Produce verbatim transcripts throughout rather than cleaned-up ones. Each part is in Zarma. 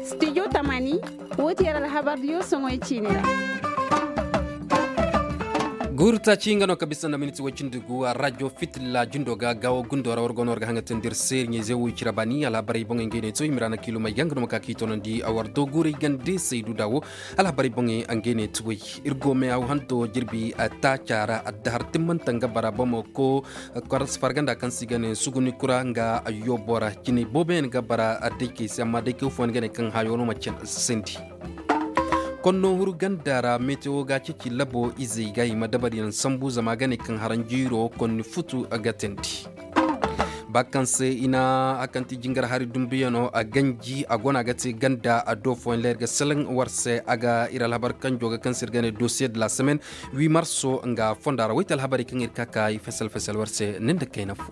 Studio tamani, wo ti yar alhabar diyo soŋoy ciine ra. Guuru taaci nga no ka bisa nda miniti way cindi gu a rajo fitilla jindo ga gaawo gundo ra war go no war ga haŋ ga teendi iri se iri ɲayze wo i cira baani alhabarey boŋey ngey no i to i ma ra na kiilumey ga nga no ma ka ka i toonandi a war do guurey gande saydu da wo. Alhabarey boŋey ngey no i to way iri go me haw hanto jirbi taaca ra addahar timmanta nga bara bamako. Farganda kaŋ se i ga ne suguni kura nga ayyo bora jinay boobo yaŋ ga bara daykey se amma daykey fooyaŋ ga ne kaŋ hayo no ma cin sandi. Konno huru ganda ra metewo ga ceeci labo izey ga i ma dabariyaŋ sambu zama a ga ne kaŋ haranjiiro konni futu ga teendi. Ba kaŋ se i na a kaŋ ti jingar hari dumbuyaŋo a ganji a gona ga te ganda a do fooyaŋ leer ga salaŋ war se a ga iri alhabar kanjo ga kaŋ se iri ga ne dosiye de la semaine. Wi marso nga fonda ra wayte alhabarey kaŋ iri ka ka i fesel fesel war se nin da kayna fo.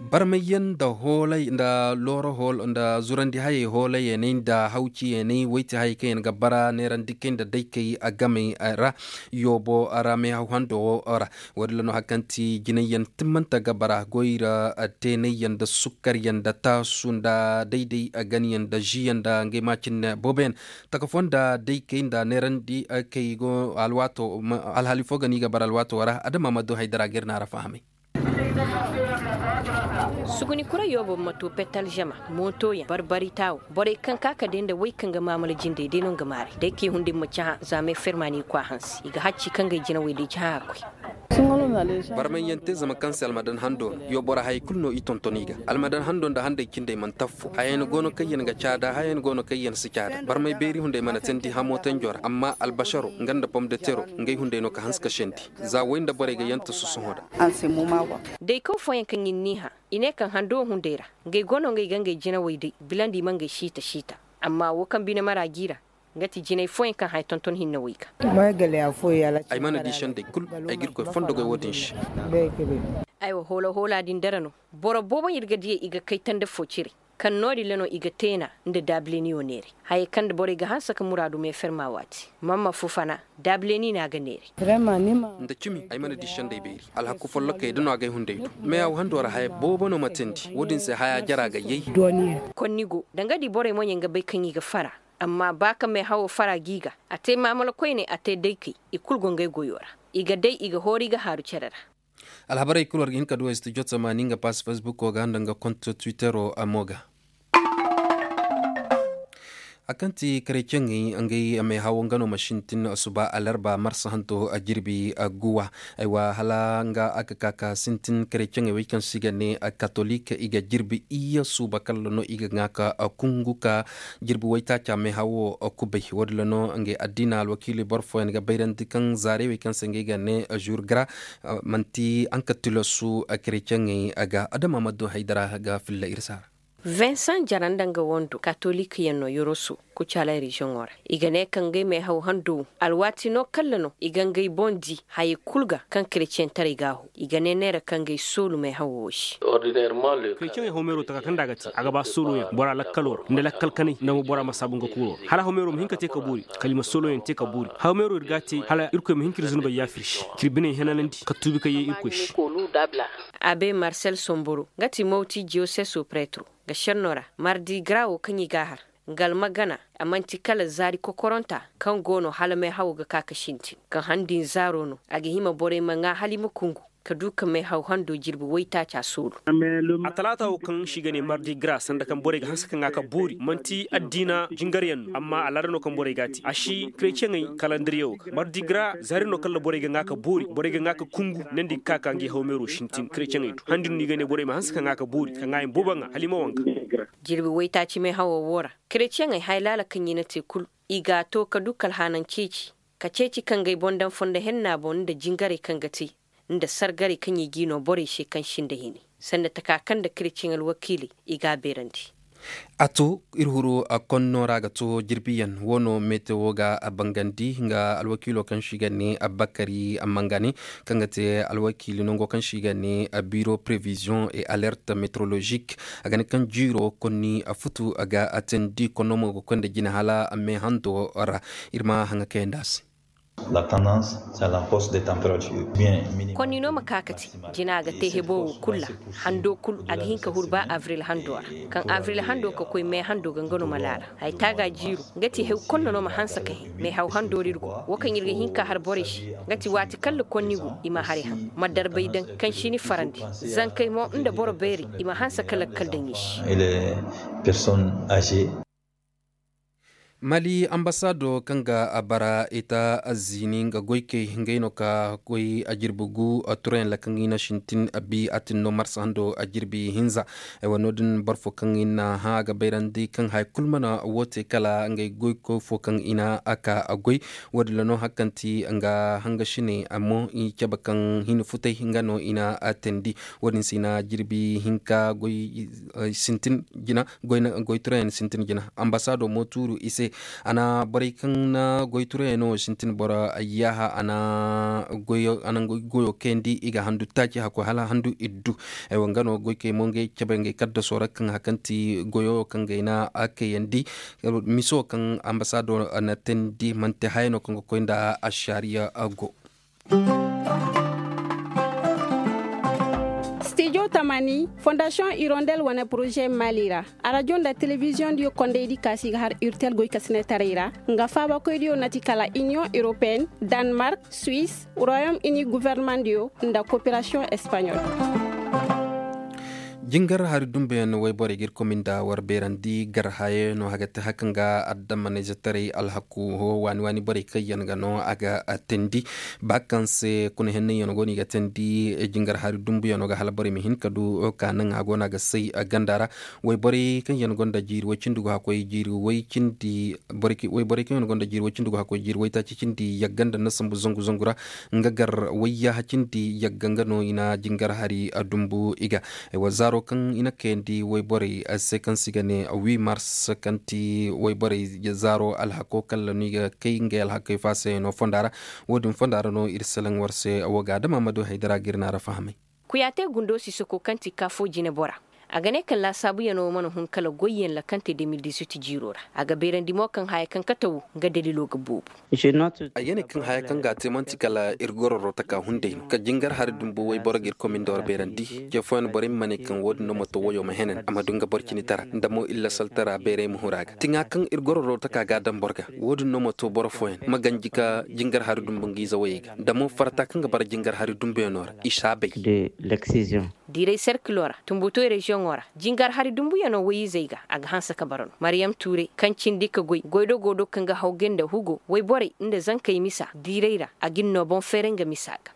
Barmayyaŋ nda hoolay nda looro hool nda zurandi hayey hoolayaney nda hawciyaney wayte hayey kaŋ yaŋ ga bara neerandi kay nda daykey a gamey ra. Yoobo ra meehaw hando wo ra. Wo- din ra no hari kaŋ ti jinayyaŋ timmanta ga bara goyra teenayyaŋ nda sukkaryaŋ nda taasu nda dayday ganyaŋ nda ziyaŋ nda ngey ma cine booboyaŋ. Taka fo nda daykey nda neerandi kay go alwaato alhali fo ga no i ga bara alwaato ra adama ma du haydara ga iri naara fahamay. Suguni kura yoobo ma to petal zama mootoyaŋ barbari taawo borey kaŋ ka ka day nda way kaŋ ga maamala jindey day no nga maaray day kaŋ i hunda i ma cahã za meeferma no i kwa hanse i ga hacci kaŋ ga ay jinawey day cahã a koy. Barmayaŋ te zama kaŋ se almadan hando no yo boro hayey kulu no i tonton i ga. Almadan hando nda handey cindey mana taffo hayey no go no kaŋ yaŋ ga caada hayey no go no kaŋ yaŋ si caada barmay beeri hunday mana teendi hamo tanjo ra amma albasaro nga nda pomdetero ngey hunday no ka hanse ka sendi. Za way nda borey ga yanta sosohõ da. Daykaw fooyaŋ kaŋ i n'i hã i ne kaŋ hando hunday ra ngey go no ngey ga ngey jinawey day bilandi i ma ngey siita siita. Amma wo kaŋ bine mara g'i ra nga ti jinay fooyaŋ kaŋ haya tonton hinne wo i ga. Ay mana di sendey kulu. Ay ga iri koy fondo goy wo- din se. Aywa hoola hoola din dara no. Boro boobo iri ga diyey i ga kay tanda fo cire kaŋ no- din ra no i ga teena nda daabileniyo neeray. Hayey kaŋ nda borey ga hanse ka muraadu meeferma waati. Mamma fufana daabileni no a ga neeray. Nda cimi ay mana di sendey beeri. Alhaku folloka ye da no a ga ay hunday du. Meehaw hando ra haya boobo no ma teendi wo- din se haya jara ga yay. Konni go danga di borey moɲey nga bay kaŋ i ga fara. Amma ba ka meehawo fara g'i ga a te maamala koyne a te daykey i kulu go ngey goyo ra. I ga day i ga hooru i ga haaru care ra. Alhabarey kulu war ga hin ka du a studio tamaani nga pass facebook wo ga nda nga konto twittero mo ga. A kaŋ ti kareceŋey ngey meehawo nga no ma sintin suba alarba marsa hanto jirbi guwa. Aywa hala nga a ga ka ka sintin kareceŋey wey kaŋ se i ga ne katolik i ga jirbi iyye suuba kala no i ga ŋwa ka kungu ka jirbi waytaaca meehawo kubay wo- din ra no ngey addiina alwakiili boro fooyaŋ ga bayrandi kaŋ zaarey wey kaŋ se ngey ga ne jour gra. Manti haŋ ka tilasu kareceŋey ga adama ma du haydara ga filla iri se a ra. Vincent jara nda nga wando katolik yaŋ no yoroso kucaala reziyoŋo ra. I ga ne kaŋ ngey meehaw hando wo alwaati no kalla no i ga ngey boŋ di hayey kulu ga kaŋ kareceŋ taray ga a ho. I ga ne neera kaŋ ngey soolu meehawo wo se. Kareceŋey hawmeero taka kaŋ nda a ga te a ga ba sooloyaŋ bora lakkalo ra nda lakkal kanay nda mo bora ma saabu nga kuuro ra hala hawmeero ma hin ka te ka boori. Kala i ma sooloyaŋ te ka boori hawmeero iri ga a te hala irkoy ma hin ka iri zunubey yaafa iri se ka iri biney henanandi ka tuubi ka ye irkoy se. Abe marsel somboro nga ti mawti diyoseso pretro ga senno ra mardi gra wo kaŋ i ga a har nga almagana. A manti kala zaari kokoronta kaŋ go no hala meehawo ga ka ka sintin kaŋ han din zaaro no a ga hima borey ma ŋwa hala i ma kungu ka du ka meehaw hando jirbi waytaaca soolu. A talaata wo kaŋ se i ga ne mardi gra sanda kaŋ borey ga hanse ka ŋwa ka boori manti addiina jingaryaŋ no amma alaada no kaŋ borey ga a te a si kareceŋey kalandiriyaŋo ga mardi gra zaari no kaŋ ra borey ga ŋwa ka boori borey ga ŋwa ka kungu nandi ga ka ka ngey hawmeero sintin kareceŋey do han din no i ga ne borey ma hanse ka ŋwa ka boori ka ŋwaayaŋ boobo ŋwa hala i ma wanga. Jirbi waytaaci meehawo wo ra kareceŋey haya laala kaŋ i na te kulu i ga a to ka du kala haanaŋ ceeci ka ceeci ka ngey boŋ daŋ fondo henna boŋ nda jingarey kaŋ ga te nda sargarey kaŋ i g'i no borey se kaŋ sinda hini sanda taka kaŋ nda kareceŋ alwakiiley i ga a beerandi. A to iri huru konno ra ga to jirbiyaŋ wo no metewo ga a bangandi nga alwakiilo kaŋ se i ga ne abbakari mangane kaŋ ga te alwakiili nango kaŋ se i ga ne biro prevision et alerte meteorologique. A ga ne kaŋ jiiro konni a futu a ga a teendi konno mo ga koy nda jine hala me hando ra. Iri ma haŋa kayandi a se. Konni no ma ka ka te jina ga te hebo wo kulu ra. Hando kulu a ga hin ka huru ba avril hando ra. Kaŋ avril hando ka koy me hando ga nga no ma laala. Hay taaga jiiro nga ti hew konno no ma hanse ka hin me haw hando ra iri go wo kaŋ iri ga hin ka har borey se. Nga ti waati kaŋ ga konni go i ma haray ham ma darbay daŋ kaŋ si ni farandi. Zankey mo nda boro beerey i ma hanse ka lakkal daŋ i se. Mali ambasaado kaŋ ga a bara ita azzini nga goykey ngey no ka koy a jirbi gu a turayaŋ ra kaŋ i na sintin a bi a tin no marsa hando a jirbi hinza. Ay wa no- din boro fo kaŋ i na hã a ga bayrandi kaŋ haya kulu mana wo te kala ngey goyko fo kaŋ i na a ka a goy. Wo- din ra no hari kaŋ ti nga hanga sine amma i cabe kaŋ hin futay nga no i na a teendi. Wo- din se i na jirbi hinka goy sintin jina goy turayaŋ sintin jina. Ambasaado mo tuuru i se a na borey kaŋ na goy turayaŋ no sintin boro yaaha a na goyo kayandi i ga handu taaci hakkoy hala handu iddu. Ay wa nga no goy kay mo ngey cabe ngey kaddaso ra kaŋ hari kaŋ ti goyo kaŋ gay na a kayandi. Miso kaŋ ambasaado na teendi manti haya no kaŋ ga koy nda ašariya go. Stijo tamani fondasiyoŋ irondel wane poroze mali ra. Arajo nda telebiziyoŋ diyo kondey di kaasi ga har urtel goy ka sinetaray ra. Nga faabakoy diyo na ti kala iniyoŋ europeen, danmark, suis, royom ini guvernemandiyo nda koperasiyoŋ espanyol. Jingar hari dumbuyaŋ wayborey ga iri komi nda war beerandi gar hayayaŋ no a ga te hari kaŋ ga addamanayzetaray alhaku ho waani waani borey kaŋ yaŋ ga no a ga teendi. Ba kaŋ se kuna hennayaŋ go no i ga teendi jingar hari dumbuyaŋ ga hala borey ma hin ka du ka naŋ a go no a ga say ganda ra. Wayborey kaŋ yaŋ gonda jiiri way cindi go hakkoy jiiri way cindi wayborey kaŋ yaŋ gonda jiiri way cindi go hakkoy jiiri waytaaci cindi yagga nda na sambu zangu zangu ra. Nga gar wayya cindi yagga nga no i na jingar hari dumbu i ga. Ay wa zaaro kaŋ i na kayandi wayborey se kaŋ se i ga ne wi mars kaŋ ti wayborey zaaro alhako kala no i ga kay ngey alhakey faasayano fonda ra. Wo- din fonda ra no iri salaŋ war se wo ga adama ma du haydara ga iri naara fahamay. Kuyaate gundo sisako kaŋ ti kaafo jine bora. A ga ne kaŋ laasaabuyaŋo mana hun kala goyyaŋ ra kaŋ te de mil dizuit jiiro ra. A ga beerandi mo kaŋ haya kaŋ kate wo nga dalilo ga boobo. Ay ga ne kaŋ haya kaŋ ga a te manti kala iri gororo taka hunday no ka jingar hari dumbu wayboro ga iri komindo ra beerandi. Ce fooyaŋ borey ma ne kaŋ wo- din no ma to wayo ma henan a ma du nga boro cine tara nda mo iri lasaltara beeray ma huru a ga tiŋa kaŋ iri gororo taka ga a daŋ boro ga. Wo- din no ma to boro fooyaŋ ma ganji ka jingar hari dumbu nga ize wayey ga nda mo farata kaŋ ga bara jingar hari dumbuyaŋo ra i si a bay. Diiray serkilo ra tumbutoy reziyoŋo ra jingar hari dumbuyaŋo wayizey ga a ga hanse ka bara no mariyam tuuray kaŋ cindi ka goy goydogo do kaŋ ga hawgay nda hugo wayborey nda zankey misa diiray ra a ga ni no boŋ feeray nga misa ga.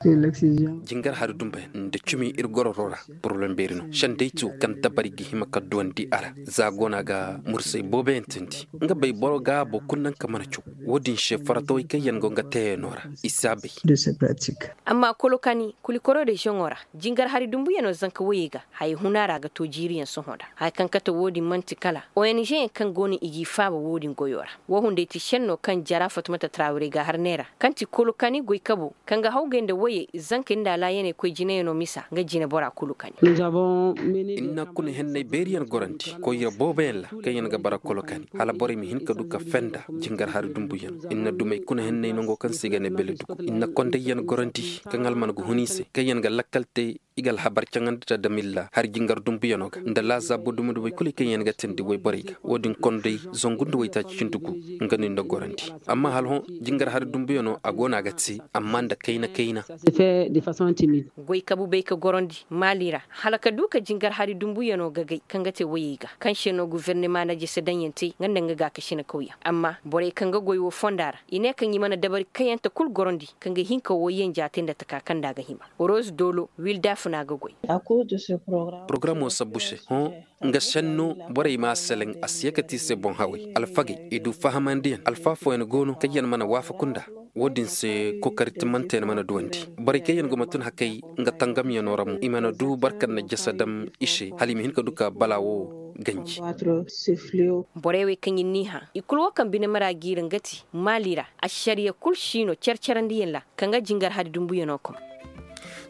Jingar hari dumbuyaŋ nda cumi iri gororo ra. Poroblem beeri no sendey tu kaŋ dabari ga hima ka duwandi a ra za go no a ga mursay booboyaŋ teendi nga bay boro ga boro kulu naŋ ka mana caw. Wo- din se faratawey kaŋ yaŋ go nga teeyaŋo ra i si a bay. Amma kolokani kulikoro reziyoŋo ra jingar hari dumbuyaŋo zanka wayey ga haya huna ra ga to jiiriyaŋ sohõ ra haya kaŋ kate wo- din manti kala ong yaŋ kaŋ go no i g'i faaba wo- din goyo ra. Wo hunday ti senno kaŋ jara fatumata tarawirey ga har neera kaŋ ti kolokani goy kabo kaŋ ga hawgay nda wayey zankey nda alaayaney koy jineyaŋo misa nga jine bora kulu kani. Iri na kuna henney beeriyaŋ gorandi koyra booboyaŋ ra kaŋ yaŋ ga bara kolokani hala borey ma hin ka du ka fenda jingar hari dumbuyaŋ. Iri na dumey kuna henney nango kaŋ se i ga ne bele dugu iri na kondayyaŋ gorandi kaŋ alman ga hun i se kaŋ yaŋ ga lakkal te i ga alhabar caŋandi da damilla hari jingar dumbuyaŋo ga nda laazaabo dumi-dumey kulu kaŋ yaŋ ga teendi wayborey ga wo- din konday zangu nda waytaaci cindi gu. Nga no iri na gorandi amma hala hõ jingar hari dumbuyaŋo a go no a ga te amma nda kayna kayna. Goy kabu bay ka gorandi maali ra hala ka du ka jingar hari dumbuyaŋo gagay kaŋ ga te wayey ga kaŋ se no gufernema na jese daŋyaŋ te nga nda nga gaakasina kawyaŋ amma borey kaŋ ga goy wo fonda ra i ne kaŋ i mana dabari kayante kulu gorandi kaŋ ga hin ka wo yanja te nda taka kaŋ nda a ga hima. Rose dolo wilda funa ga goy. Porogaraamo sabbu se hõ nga senno borey ma a selaŋ a si ye ka te i se boŋ hawey alfagey i du fahamandiyaŋ alfa fooyaŋ go no kaŋ yaŋ mana waafaku nda wo- din se kookari timmante yaŋ mana duwandi. Borey kaŋ yaŋ go ma tun hakey nga tangamyaŋo ra mo i mana du boro kaŋ na jasa daŋ i se hala i ma hin ka du ka bala wo ganji. Borey wey kaŋ iri n'i hã i kulu wo kaŋ bine mara g'i ra nga ti maali ra ašariya kulu si no care carandiyaŋ ra kaŋ ga jingar hari dumbuyaŋo kom.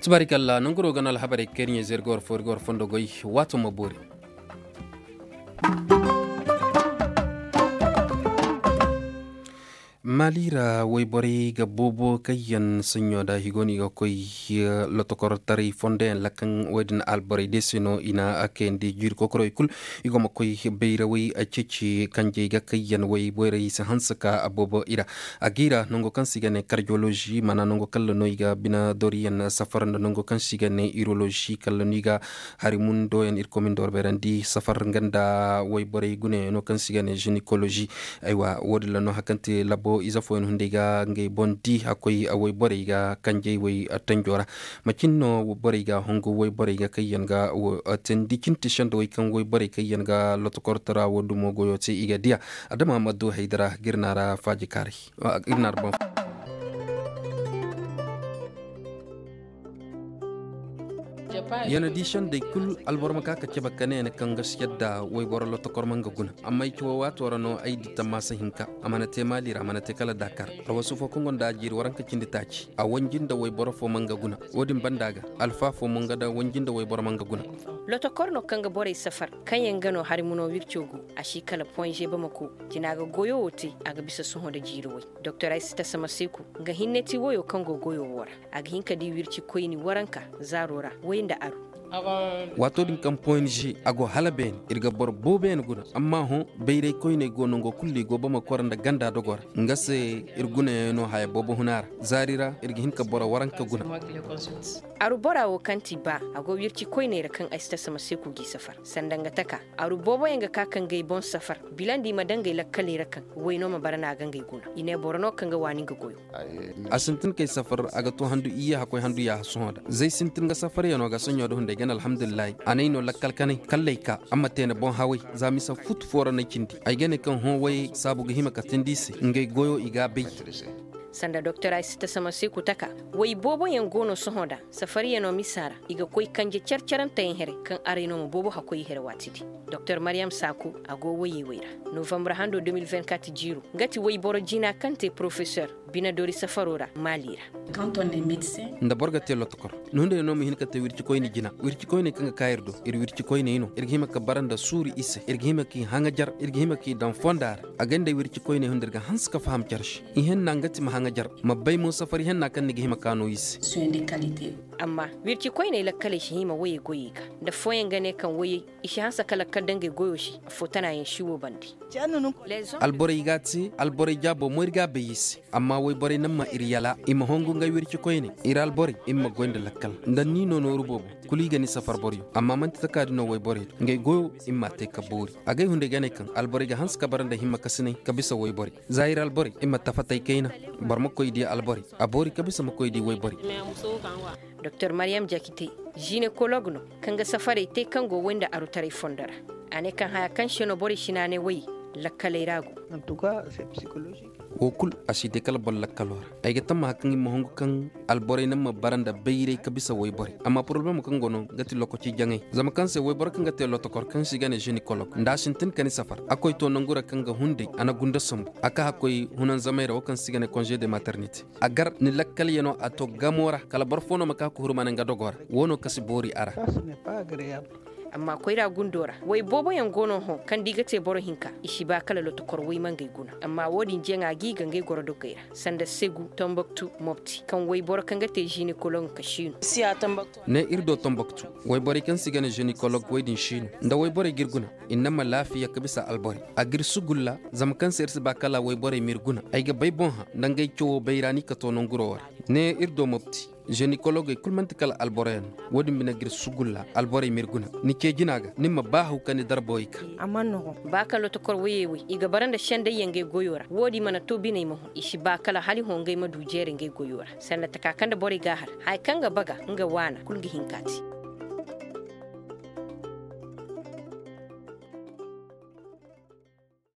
Tubaarikalla nangu no ga no alhabarey kaŋ iri ɲa-ize iri ga war fo iri ga war fondo goy. Waato ma boori. Maali ra wayborey ga boobo kaŋ yaŋ saɲɲo da i go no i ga koy lotokortaray fondo yaŋ ra kaŋ wo- din alborey day se no i na kayandi jiiri kokorey kulu. I go ma koy bayrawey ceeci kanjey ga kaŋ yaŋ wayborey si hanse ka boobo i ra. A ga i ra nango kaŋ se i ga ne kardiyolozi maana nango kaŋ ra no i ga bine doriyaŋ safar nda nango kaŋ se i ga ne irolozi kala no i ga hari mundo yaŋ irkoy ma ni doro beerandi safar nga nda wayborey gunayaŋo kaŋ se i ga ne zinikolozi. Aywa wo- din ra no hari kaŋ te labo ize fooyaŋ hunday ga ngey boŋ di a koy wayborey ga kanjey way tanjo ra. Macin no borey ga hongu wayborey ga kaŋ yaŋ ga teendi cine te sendawey kaŋ wayborey kaŋ yaŋ ga lotokortara wo dumo goyo te i ga diya. Adama ma du haydara ga iri na ra faaji kaaray. Iri na ra boŋ. Yana di sendey kulu alboro ma ka ka cabe ka ne ne kaŋ ga si yadda wayboro lotokor ma nga guna. Amma ay ci wo waato ra no ay di tammaasa hinka. A mana te maali ra a mana te kala dakar. Alwasu fo kaŋ gonda a jiiri waranka cindi taaci a wanji nda wayboro fo ma nga guna. Wo- din banda ga alfa fo mo nga da wanji nda wayboro ma nga guna. Lotokor no kaŋ ga borey safar kaŋ yaŋ ga no hari muno wirco go. A si kala poinze bamako. Jina ga goyo wo te a ga bisa sohõ nda jiiri way. Doktor ay si tasa maseeku. Nga hinne ti woyo kaŋ go goyo wo ra. A ga hin ka di wirci koyni waranka zaaro ra. Way nda aru. Waato din kaŋ poinze a go hala beene iri ga boro boobo yaŋ guna. Amma hõ bayray koyney go nango kulu i go bamako ra nda ganda dogo ra. Nga se iri gunayaŋ no haya boobo huna ra. Zaari ra iri ga hin ka boro waranka guna. Aru bora wo kaŋ ti ba a go wirci koyney ra kaŋ ay si tasa maseeku g'i safar sanda nga taka. Aru boobo yaŋ ga ka ka ngey boŋ safar. Bilandi i ma daŋ ngey lakkaley ra kaŋ wayno ma bara no a ga ngey guna i ne boro no kaŋ ga waani nga goyo. A sintin kay safar a ga to handu iyye hakkoy handu yaaha sohõ da zay sintin ga safar yaŋo ga soɲɲo da hunday gana alhamdulillahi. A n'ay no lakkal kanay kallay ka amma teene boŋ haway. Za misa futu fo ra n'ay cindi ay ga ne kaŋ hõ way saabu ga hima ka tindi i se ngey goyo i ga a bay. Sanda doktor ay si tasa maseeku taka. Way boobo yaŋ go no sohõ da safar yaŋo misa ra i ga koy kanje care carante yaŋ here kaŋ aray no ma boobo hakkoy i here waati di. Doktor mariyam saaku a go wayey way ra. Novambur hando deux mille vingt-quatre jiiro nga ti wayboro jina kaŋ te porofesor bine doori safaro ra maali ra. Nda boro ga te lotokor ni hunday no ma hin ka te wirci koyne jina wirci koyne kaŋ ga ka iri do iri wirci koyney no iri ga hima ka bara nda suuru i se iri ga hima k'i haŋajar iri ga hima k'i daŋ fonda ra. A ganda wirci koyney hunday iri ga hanse ka faham care se. Ihenna nga ti ma haŋajar ma bay mo safari henna kaŋ ni ga hima ka no i se. Amma wirci koyney lakkaley si hima wayey goyey ga nda fooyaŋ ga ne kaŋ wayey i si hanse ka lakkal da ngey goyo se. Afo tana yaŋ si wo bande. Alborey ga a te alborey jaabo mo iri ga a bay i se. Amma wayborey naŋ ma iri yala i ma hongu ngey wirci koyne iri alborey iri ma goy nda lakkal nda ni no nooru boobo. Kulu i ga ni safar boro yaŋ amma manti taka din no wayborey do ngey goyo iri ma a te ka boori. Agay hunday ga ne kaŋ alborey ga hanse ka bara nda himma kasinay ka bisa wayborey. Za iri alborey iri ma tafatay kayna. Boro ma koy di alborey a boori ka bisa ma koy di wayborey. Doktor mariyam jakite jinekolog no kaŋ ga safarey te kaŋ go way nda arutaray fondo ra. A ne kaŋ haya kaŋ se no borey si naanay way lakkaley ra go. Wo kulu a si day kala boro lakkalo ra. Ay ga tammaha kaŋ i ma hongu kaŋ alborey naŋ ma bara nda bayray ka bisa wayborey amma poroblemo kaŋ go no ga ti lokaci jaŋay zama kaŋ se wayboro kaŋ ga te lotokor kaŋ se i ga ne zenikolog nda a sintin ka ni safar a koy to nangu ra kaŋ ga hunday a na gunda sambu a ka hakkoy hunanzamay ra wo kaŋ se i ga ne konze de maternite. A gar ni lakkal yaŋo a to gamo ra kala boro fo no ma ka ka hurmana nga dogo ra. Wo no ka si boori a ra. Amma koyra gundo ra way boobo yaŋ go no hõ kaŋ da i ga te boro hinka i si ba kala lotokor way ma ngey guna amma wo- din jaŋa ga i ga ngey goro dogey ra sanda segu tomboktu mopti kaŋ wayboro kaŋ ga te zinekoloŋ ka siino. Ne iri do tomboktu wayborey kaŋ se i ga ne zinekoloŋ way din siino nda wayborey ga iri guna. Iri naŋ ma laafiya ka bisa alborey a ga iri sugulla. Zama kaŋ se iri si ba kala wayborey ma iri guna ay ga bay boŋ hã nda ngey cawo bayra no i ka to nanguro wo ra. Ne iri do mopti zenikologey kulu manti kala alboro yaŋ no. Wo- din bine ga iri sugulla alborey ma iri guna ni ce jina ga ni ma ba haw ka ni darbowey ka. Ba kaŋ lotokor wayey way i ga bara nda sendey yaŋ ngey goyo ra wo- din mana to biney ma hõ i si ba kala hala i hõ ngey ma du jeere ngey goyo ra sanda taka kaŋ nda borey ga a har haya kaŋ ga baga nga waana kulu ga hin ka te.